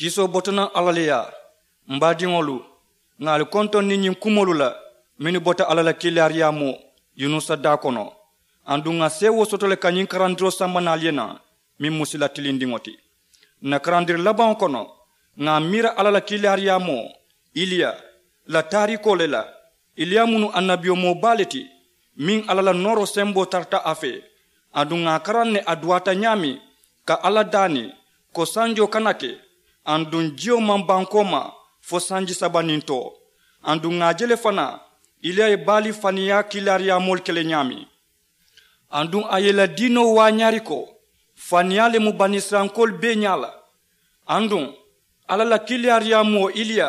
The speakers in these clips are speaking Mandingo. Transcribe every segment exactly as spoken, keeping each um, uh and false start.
Kiisoo bota naŋ alla le yaa. M baadiŋolu, ŋà ali kontoŋ niŋ ñiŋ kumoolu la mennu bota alla la kiilaariyaamoo yunusa daa kono. Aduŋ ŋà seewoo soto le ka ñiŋ karandiroo samba naŋ ali ye naŋ, meŋ mu sila tilindiŋo ti. N na karandiri labaŋo kono, ŋà a miira alla la kiilaariyaamoo iliya la taariikoo le la. Iliya mu nuŋ annabiyomoo baa le ti, meŋ alla la nooroo semboo tarata a fee. Aduŋ ŋà a karaŋ ne a duwaata ñaameŋ ka alla daani ko sanjoo kana ke, aduŋ jiyo maŋ bankoo maa fo sanji saba niŋ too. Aduŋ ŋà a je le fanaa iliya ye baali faniyaa kiilaariyaamoolu ke le ñaameŋ. Aduŋ a ye ì la diinoo waañaari ko faniyaa le mu banisirayilankoolu bee ñaa la. Aduŋ alla la kiilaariyaamoo iliya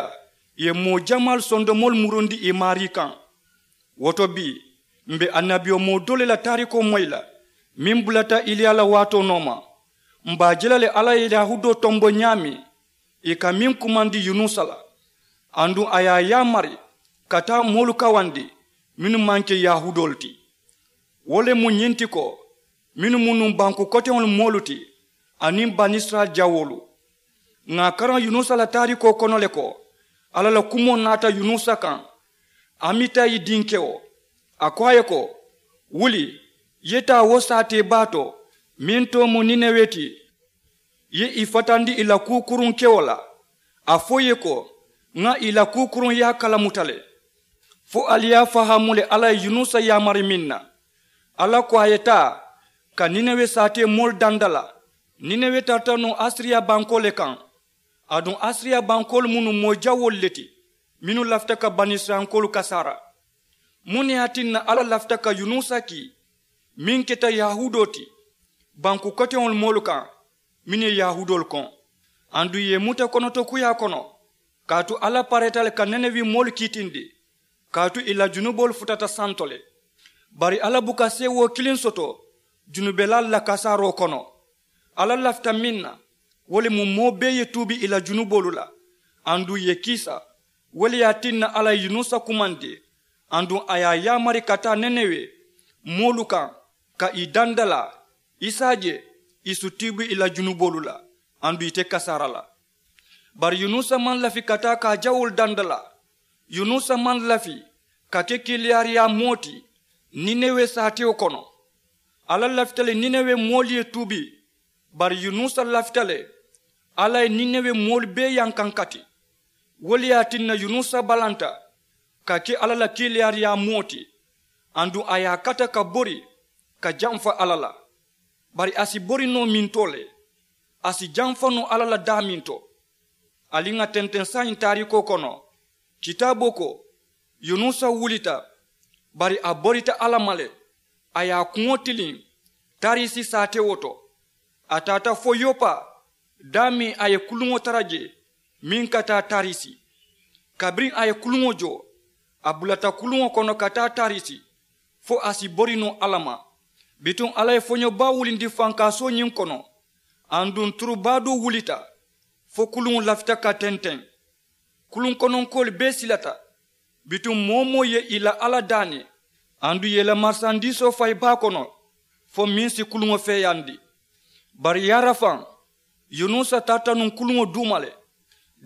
ye moo jamaalu sondomoolu murundi ì maarii kaŋ. Wo to bii, m be annabiyomoo doo le la taariikoo moyi la meŋ bulata iliya la waatoo nooma. M be a je la le alla ye yahudoo tombo ñaameŋ ì ka meŋ kumandi yunusa la. Aduŋ a ye a yaamari ka taa moolu kawandi mennu maŋ ke yahudoolu ti. Wo le mu ñiŋ ti ko mennu mu nuŋ banku koteŋolu moolu ti aniŋ banisirayila jawoolu. Ŋà a karaŋ yunusa la taariikoo kono le ko alla la kumoo naata yunusa kaŋ. Amitayi dinkewo, a ko a ye ko, wuli, ye taa wo saatee baa to meŋ too mu ninewe ti. Ye ì fatandi ì la kuu kuruŋ kewo la. A fo ì ye ko, ŋà ì la kuu kuruŋ yaa kalamuta le. Fo ali ye a fahaamu le alla ye yunusa yaamari meŋ na. Alla ko a ye taa ka ninewe saatee moolu danda la. Ninewe tarata nuŋ asiriya bankoo le kaŋ. Aduŋ asiriya bankoolu mu nuŋ moo jawoolu le ti mennu lafita ka banisirayilankoolu kasaara. Muŋ ne ye a tinna alla lafita ka yunusa kii meŋ keta yahudoo ti banku koteŋolu moolu kaŋ, mennu ye yahudoolu koŋ? Aduŋ ì ye ì muta konotokuyaa kono, kaatu alla pareeta le ka ninewe moolu kiitindi, kaatu ì la junuboolu futata santo le. Bari alla buka seewoo kiliŋ soto junubelaalu la kasaaroo kono. Alla lafita meŋ na, wo le mu moo bee ye tuubi ì la junuboolu la, aduŋ ì ye kiisa. Wo le ye a tinna alla ye yunusa kumandi, aduŋ a ye a yaamari ka taa ninewe moolu kaŋ, ka ì dandalaa, i si a je ì si tuubi ì la junuboolu la, aduŋ ì te kasaara la. Bari yunusa maŋ lafi ka taa ka a jawoolu dandalaa. Yunusa maŋ lafi ka ke kiilaariyaa moo ti ninewe saatewo kono. Alla lafita le ninewe moolu ye tuubi. Bari yunusa lafita le alla ye ninewe moolu bee yankankati. Wo le ye a tinna yunusa balanta ka ke alla la kiilaariyaa moo ti, aduŋ a ye a kata ka bori ka jamfa alla la. Bari a si bori noo mintoo le, a si jamfa noo alla la daaminto. Ali ŋà tenteŋ saayiŋ taariikoo kono, kitaaboo ko, yunusa wulita, bari a borita alla ma le. A ye a kuŋo tiliŋ tarisi saatewo to. A taata fo yopa, daameŋ a ye kuluŋo tara jee meŋ ka taa tarisi. Kabiriŋ a ye kuluŋo joo, a bulata kuluŋo kono ka taa tarisi, fo a si bori noo alla ma. Bituŋ alla ye foño baa wulindi fankaasoo ñiŋ kono, aduŋ turu baa doo wulita, fo kuluŋo lafita ka tenteŋ. Kuluŋ kononkoolu bee silata, bituŋ moo-wo-moo ye ì la alla daani, aduŋ ì ye ì la marisandiisoo fayi baa kono, fo meŋ si kuluŋo feeyaandi. Bari yaarafaŋ, yunusa tarata nuŋ kuluŋo duuma le.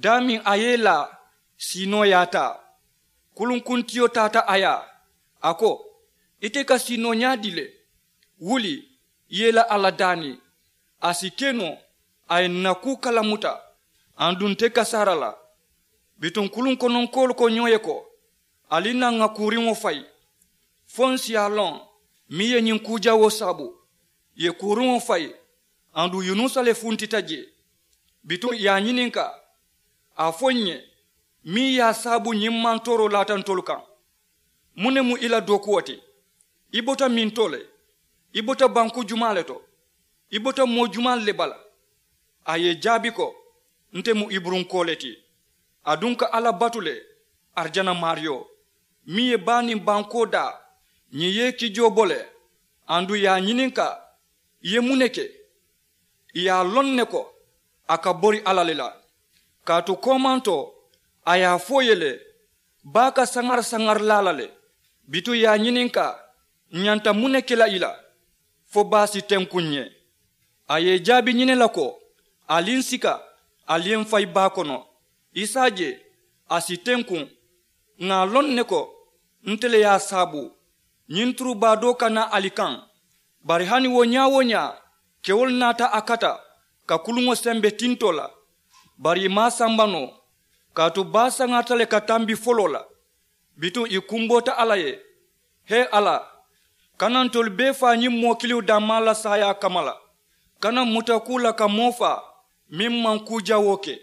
Daameŋ a ye ì laa, siinoo ye a taa. Kuluŋkuntiyo taata a yaa, a ko, ite ka siinoo ñaadii le? Wuli, i ye ì la alla daani. A si ke noo, a ye ǹ na kuu kalamuta, aduŋ nte kasaara la. Bituŋ kuluŋ kononkoolu ko ñoo ye ko, ali naŋ ŋà kuuriŋo fayi, fo ǹ si a loŋ meŋ ye ñiŋ kuu jawoo saabu. Ì ye kuuriŋo fayi, aduŋ yunusa le funtita jee. Bituŋ ì ye a ñininkaa, a fo ǹ ye, meŋ ye a saabu ñiŋ mantooroo laata ntolu kaŋ? Muŋ ne mu i la dookuwo ti? I bota mintoo le? I bota banku jumaa le to? I bota moo jumaalu le bala? A ye ì jaabi ko, nte mu iburunkoo le ti. Aduŋ ka alla batu le, arijana maariyo, meŋ ye baa niŋ bankoo daa. Ñiŋ ye i kijoo bo le, aduŋ ì ye a ñininkaa, i ye muŋ ne ke? Ì ye a loŋ ne ko, a ka bori alla le la. Kaatu koomantoo, a ye a fo ì ye le, baa ka saŋari saŋari laa la le. Bituŋ ì ye a ñininkaa, ǹ ñanta muŋ ne ke la i la, fo baa si tenkuŋ ǹ ye? A ye ì jaabi ñiŋ ne la ko, ali ǹ sika, Ali ye m fayi baa kono. Isa je a si tenkuŋ. Ŋà a loŋ ne ko nte le ye a saabu ñiŋ turubaa doo ka naa ali kaŋ. Bari hani wo ñaa-wo-ñaa kewolu naata a kata ka kuluŋo sembe tintoo la. Bari ì maŋ a samba noo. Kaatu baa saŋarita le ka tambi foloo la. Bituŋ ì kumboota alla ye, hee alla, kana ntolu bee faa ñiŋ moo kiliŋo dammaa la saayaa kamma la. Kana mmuta kuu la ka moo faa meŋ maŋ kuu jawoo ke.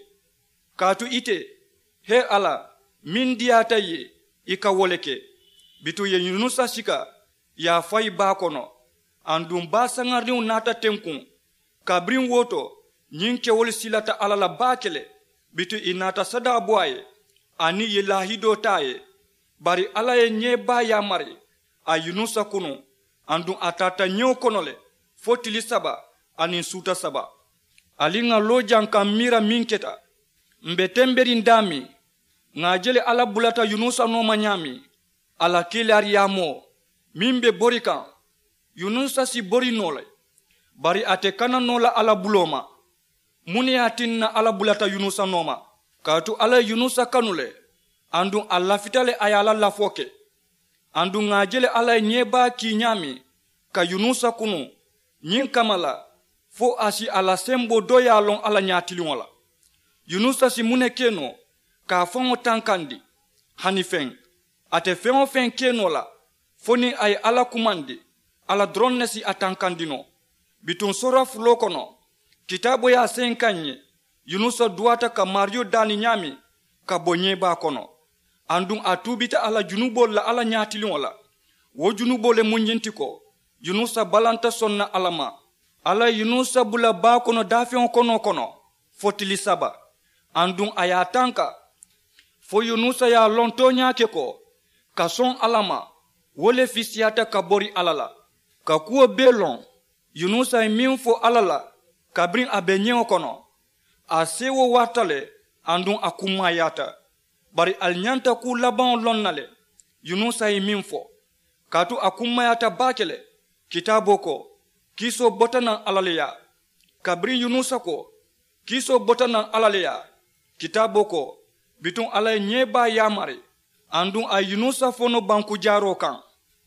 Kaatu ite, hee alla, meŋ diyaata ì ye ì ka wo le ke. Bituŋ ì ye yunusa sika, ì ye a fayi baa kono. Aduŋ baa saŋariniŋo naata tenkuŋ. Kabiriŋ wo to ñiŋ kewolu silata alla la baake le. Bituŋ ì naata sadaa bo a ye, aniŋ ì ye laahidoo taa a ye. Bari alla ye ñee baa yaamari a ye yunusa kunu. Aduŋ a taata ñewo kono le fo tili saba aniŋ suuta saba. Ali ŋà loo jaŋ ka m miira meŋ keta. M be temberiŋ daameŋ, ŋà a je le alla bulata yunusa nooma ñaameŋ. A la kiilaariyaamoo meŋ be bori kaŋ, yunusa si bori noo le. Bari a te kana noo la alla buloo ma. Muŋ ne ye a tinna alla bulata yunusa nooma? Kaatu alla ye yunusa kanu le. Aduŋ a lafita le a ye a la lafoo ke. Aduŋ ŋà a je le alla ye ñee baa kii ñaameŋ ka yunusa kunu ñiŋ kamma la, fo a si a la semboo dooyaa loŋ alla ñaatiliŋo la. Yunusa si muŋ ne ke noo ka a faŋo tankandi? Hani feŋ. A te feŋ-wo-feŋ ke noo la fo niŋ a ye alla kumandi, alla doroŋ ne si a tankandi noo. Bituŋ soora fuloo kono, kitaaboo ye a seyi kaŋ n ye, yunusa duwaata ka maariyo daani ñaameŋ ka bo ñeebaa kono. Aduŋ a tuubita a la junuboolu la alla ñaatiliŋo la. Wo junuboo le mu ñiŋ ti ko, yunusa balanta soŋ na alla ma. Alla ye yunusa bula baa kono daafeŋo konoo kono fo tili saba. Aduŋ a ye a tanka fo yunusa ye a loŋ tooñaa ke ko, ka soŋ alla ma, wo le fisiyaata ka bori alla la. Ka kuwo bee loŋ, yunusa ye meŋ fo alla la kabiriŋ a be ñewo kono, a seewoo warata le. Aduŋ a kummaayaata. Bari ali ñanta kuu labaŋo loŋ na le. Yunusa ye meŋ fo, kaatu a kummaayaata baake le. Kitaaboo ko, kiisoo bota naŋ alla le yaa. Kabiriŋ yunusa ko, kiisoo bota naŋ alla le yaa, kitaaboo ko, bituŋ alla ye ñee baa yaamari. Aduŋ a ye yunusa fo noo banku jaaroo kaŋ.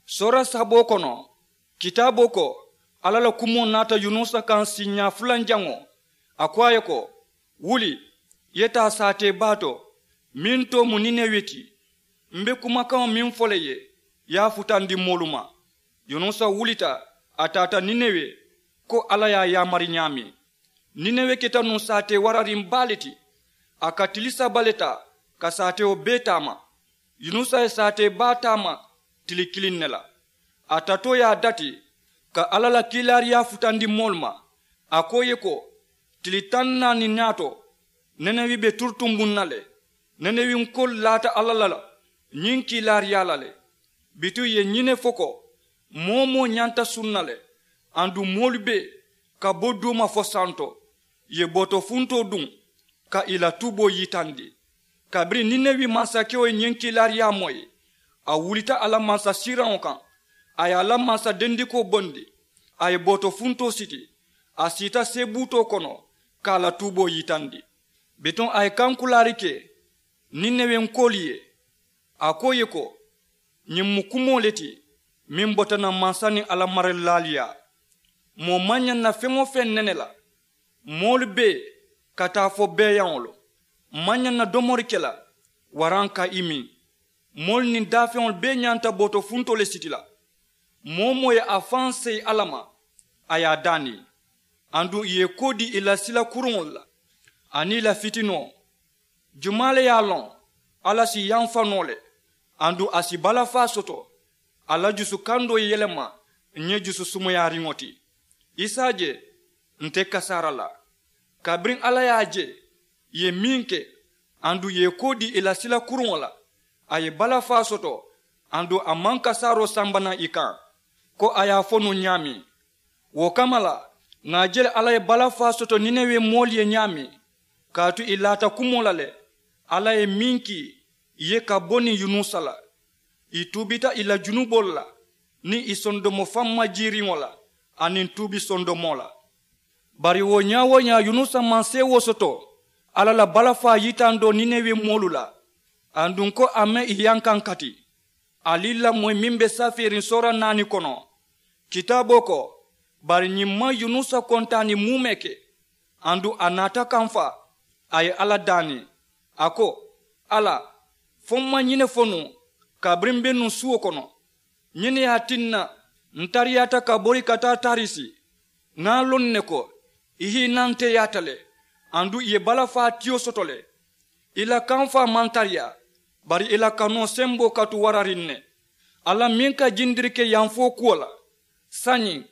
Soora saboo kono, kitaaboo ko, alla la kumoo naata yunusa kaŋ siiñaa fulanjaŋo. A ko a ye ko, wuli, i ye taa saatee baa to meŋ too mu ninewe ti. M be kumakaŋo meŋ fo la i ye, i ye a futandi moolu ma. Yunusa wulita, a taata ninewe, ko alla ye a yaamari ñaameŋ. Ninewe keta nuŋ saatee warariŋ baa le ti. A ka tili saba le taa ka saatewo bee taama. Yunusa ye saatee baa taama tili kiliŋ ne la. A tatoo ye a dati ka alla la kiilaariyaa futandi moolu ma. A ko i ye ko, tili taŋ naani ñaato, nenewi be turutumbuŋ na le. Nenewinkoolu laata alla la ñiŋ kiilaariyaa la le. Bituŋ ì ye ñiŋ ne fo ko, moo-wo-moo ñanta sunna le. Aduŋ moolu bee ka bo duuma fo santo. Ì ye bootofuntoo duŋ ka ì la tuuboo yitandi. Kabiriŋ ninewi mansakewo ye ñiŋ kiilaariyaa moyi, a wulita a la mansasiiraŋo kaŋ. A ye a la mansadendikoo bondi, a ye bootofuntoo siti, a siita seebuutoo kono ka a la tuuboo yitandi. Bituŋ a ye kankulaari ke ninewinkoolu ye, a ko ì ye ko, ñiŋ mu kumoo le ti meŋ bota naŋ mansa niŋ a la marilaalu yaa. Moo maŋ ñaŋ na feŋ-wo-feŋ nene la. Moolu bee ka taa fo beeyaŋolu. M maŋ ñaŋ na domori ke la waraŋ ka i miŋ. Moolu niŋ daafeŋolu bee ñanta bootofuntoo le siti la. Moo-wo-moo ye a faŋ seyi alla ma, a ye a daani. Aduŋ ì ye i koo dii ì la sila kuruŋolu la aniŋ ì la fitinoo. Jumaa le ye a loŋ alla si yamfa noo le? Aduŋ a si balafaa soto. A la jusu kandoo ye yelema ñe jusu sumuyaariŋo ti. Isa je, nte kasaara la. Kabiriŋ alla ye a je ì ye meŋ ke, aduŋ ì ye i koo dii ì la sila kuruŋo la, a ye balafaa soto. Aduŋ a maŋ kasaaroo samba naŋ ì kaŋ ko a ye a fo nuŋ ñaameŋ. Wo kamma la, ŋà a je le alla ye balafaa soto ninewe moolu ye ñaameŋ. Kaatu ì laata kumoo la le, alla ye meŋ kii ì ye ka bo niŋ yunusa la. Ì tuubita ì la junuboolu la niŋ ì sondomo fammajiiriŋo la aniŋ tuubi sondomoo la. Bari wo ñaa-wo-ñaa yunusa maŋ seewoo soto. Alla la balafaa yitandoo ninewe moolu la, aduŋ ko a maŋ ì yankaŋ kati. Ali lamoyi meŋ be safeeriŋ soora naani kono, kitaaboo ko, bari ñiŋ maŋ yunusa kontaani muumee ke. Aduŋ a naata kamfaa, a ye alla daani, a ko, alla, fo m maŋ ñiŋ ne fo nuŋ kabiriŋ m be nuŋ suwo kono? Ñiŋ ne ye a tinna n tariyaata ka bori ka taa tarisi. Ŋa a loŋ ne ko i hiinaŋ teyaata le, aduŋ ì ye balafaa tiyo soto le. I la kamfaa maŋ tariyaa, bari i la kanoo semboo ka tu warariŋ ne. Alla meŋ ka jindiri ke yanfoo kuwo la, saayiŋ,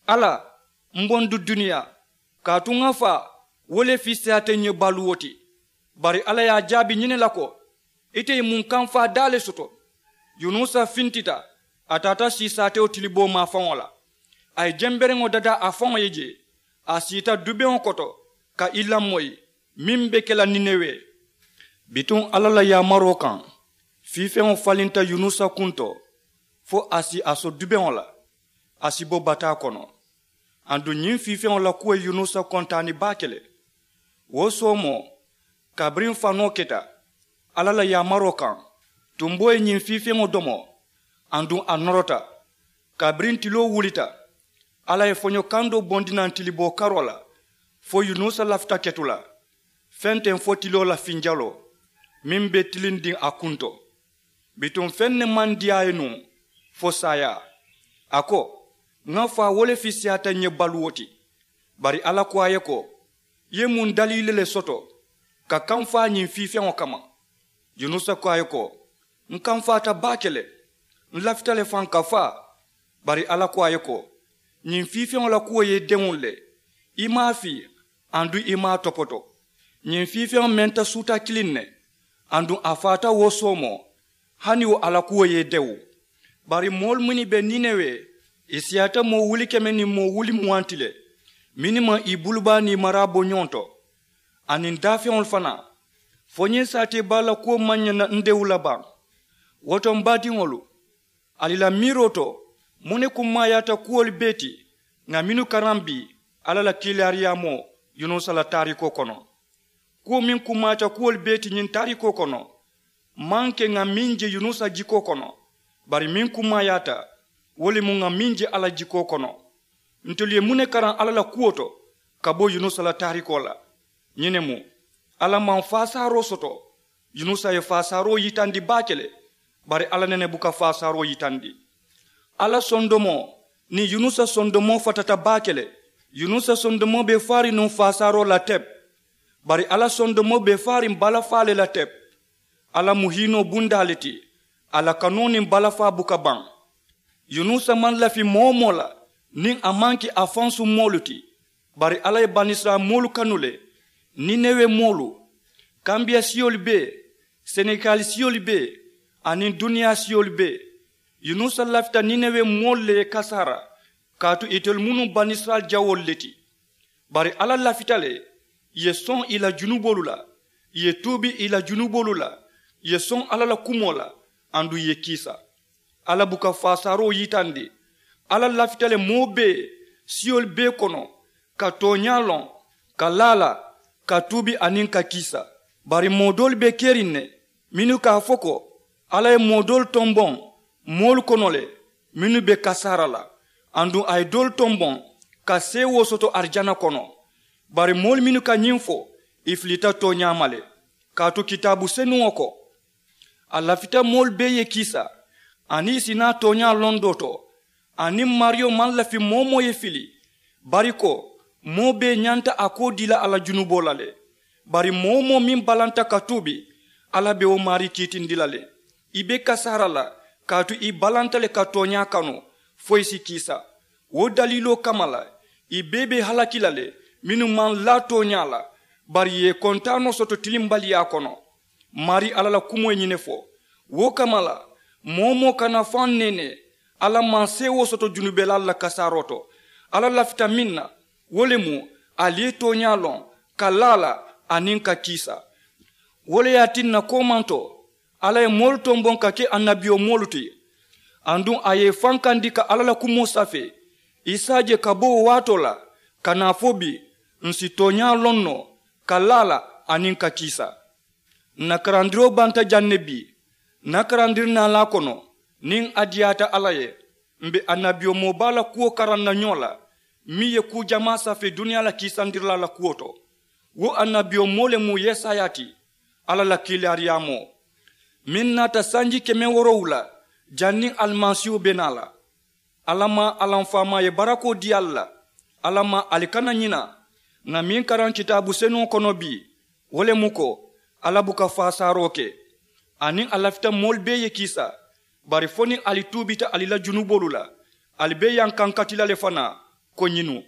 alla, m bondi duniyaa, kaatu ŋa faa, wo le fiisiyaata n ye baluwo ti. Bari alla ye a jaabi ñiŋ ne la ko, ite ye muŋ kamfaa daa le soto? Yunusa fintita, a taata siisaatewo tiliboo maafaŋo la. A ye jembereŋo dadaa a faŋo ye jee, a siita dubeŋo koto, ka i lamoyi meŋ be ke la ninewe. Bituŋ alla la yaamaroo kaŋ, fiifeŋo falinta yunusa kuŋ to, fo a si a so dubeŋo la, a si bo bataa kono. Aduŋ ñiŋ fiifeŋo la kuwo ye yunusa kontaani baake le. Wo soomoo, kabiriŋ fanoo keta alla la yaamaroo kaŋ, tumboo ye ñiŋ fiifeŋo domo, aduŋ a norota. Kabiriŋ tiloo wulita, alla ye foño kandoo bondi naŋ tiliboo karoo la, fo yunusa lafita ketu la fenteŋ fo tiloo la finjaloo meŋ be tilindiŋ a kuŋ to. Bituŋ feŋ ne maŋ diyaa a ye nuŋ fo saayaa. A ko, ŋa faa, wo le fiisiyaata n ye baluwo ti. Bari alla ko a ye ko, i ye muŋ daliili le soto ka kamfaa ñiŋ fiifeŋo kamma? Yunusa ko a ye ko, n kamfaata baake le, n lafita le faŋ ka faa. Bari alla ko a ye ko, ñiŋ fiifeŋo la kuwo ye i dewuŋ le, i maŋ a fii, aduŋ i maŋ a topoto. Ñiŋ fiifeŋo menta suuta kiliŋ ne, aduŋ a faata wo soomoo, hani wo a la kuwo ye i dewu. Bari moolu mennu be ninewe, ì siyaata moo wuli keme niŋ moo wuli muwaŋ ti le, mennu maŋ ì bulubaa niimaraa bo ñoŋ to, aniŋ daafeŋolu fanaa. Fo ñiŋ saateebaa la kuwo maŋ ñaŋ na n dewu la baŋ? Wo to m baadiŋolu, ali la miiroo to, muŋ ne kummaayaata kuwolu bee ti ŋà mennu karaŋ bii alla la kiilaariyaamoo yunusa la taariikoo kono? Kuwo meŋ kummaayaata kuwolu bee ti ñiŋ taariikoo kono maŋ ke ŋà meŋ je yunusa jikoo kono, bari meŋ kummaayaata, wo le mu ŋà meŋ je alla jikoo kono. Ntolu ye muŋ ne karaŋ alla la kuwo to ka bo yunusa la taariikoo la? Ñiŋ ne mu, alla maŋ faasaaroo soto. Yunusa ye faasaaroo yitandi baake le, bari alla nene buka faasaaroo yitandi. Alla sondomoo niŋ yunusa sondomoo fatata baake le. Yunusa sondomoo be faariŋ nuŋ faasaaroo la tep, bari alla sondomoo be faariŋ balafaa le la tep. Alla mu hiinoo bundaa le ti, a la kanoo niŋ balafaa buka baŋ. Yunusa maŋ lafi moo-wo-moo la niŋ a maŋ ke a fansuŋ moolu ti. Bari alla ye banisirayila moolu kanu le, ninewe moolu, kambiya siyolu bee, senegali siyolu bee, aniŋ duniyaa siyolu bee. Yunusa lafita ninewe moolu le ye kasaara, kaatu itelu mu nuŋ banisirayila jawoolu le ti. Bari alla lafita le ì ye soŋ ì la junuboolu la, ì ye tuubi ì la junuboolu la, ì ye soŋ alla la kumoo la, aduŋ ì ye kiisa. Alla buka faasaaroo yitandi. Alla lafita le moo bee siyolu bee kono, ka tooñaa loŋ, ka laa la, ka tuubi aniŋ ka kiisa. Bari moo doolu be keriŋ ne mennu ka a fo ko, alla ye moo doolu tomboŋ moolu kono le mennu be kasaara la, aduŋ a ye doolu tomboŋ ka seewoo soto arijana kono. Bari moolu mennu ka ñiŋ fo, ì filita tooñaa ma le. Kaatu kitaabu senuŋo ko, a lafita moolu bee ye kiisa, aniŋ ì si naa tooñaa londoo to. Aniŋ maariyo maŋ lafi moo-wo-moo ye fili, bari ko moo bee ñanta a koo dii la a la junuboo la le. Bari moo-wo-moo meŋ balanta ka tuubi, alla be wo maarii kiitindi la le. Ì be kasaara la, kaatu ì balanta le ka tooñaa kanu, fo ì si kiisa. Wo daliiloo kamma la, ì bee be halaki la le mennu maŋ laa tooñaa la, bari ì ye ì kontaanoo soto tilimbaliyaa kono. Maarii alla la kumoo ye ñiŋ ne fo. Wo kamma la, moo-wo-moo kana faŋ neenee, alla maŋ seewoo soto junubelaalu la kasaaroo to. Alla lafita meŋ na, wo le mu ali ye tooñaa loŋ, ka laa la, aniŋ ka kiisa. Wo le ye a tinna koomantoo, alla ye moolu tomboŋ ka ke annabiyomoolu ti, aduŋ a ye ì fankandi ka alla la kumoo safee. I si a je ka bo wo waatoo la ka naa fo bii, ǹ si tooñaa loŋ noo, ka laa la, aniŋ ka kiisa. Ǹ na karandiroo banta jaŋ ne bii. Ǹ na karandiri naalaa kono, niŋ a diyaata alla ye, m̀ be annabiyomoo baa la kuwo karaŋ na ñoo la, meŋ ye kuu jamaa safee duniyaa la kiisandirilaa la kuwo to. Wo annabiyomoo le mu yesaya ti, alla la kiilaariyaamoo, meŋ naata sanji keme woorowula, janniŋ alimasiihu be naa la. Alla maŋ alamfaamaa ye barakoo dii ali la. Alla maŋ ali kana ñina. Ŋà meŋ karaŋ kitaabu senuŋo kono bii, wo le mu ko, alla buka faasaaroo ke, aniŋ a lafita moolu bee ye kiisa. Bari fo niŋ ali tuubita ali la junuboolu la, ali be yankankati la le fanaa, ko ñiŋ nuŋ.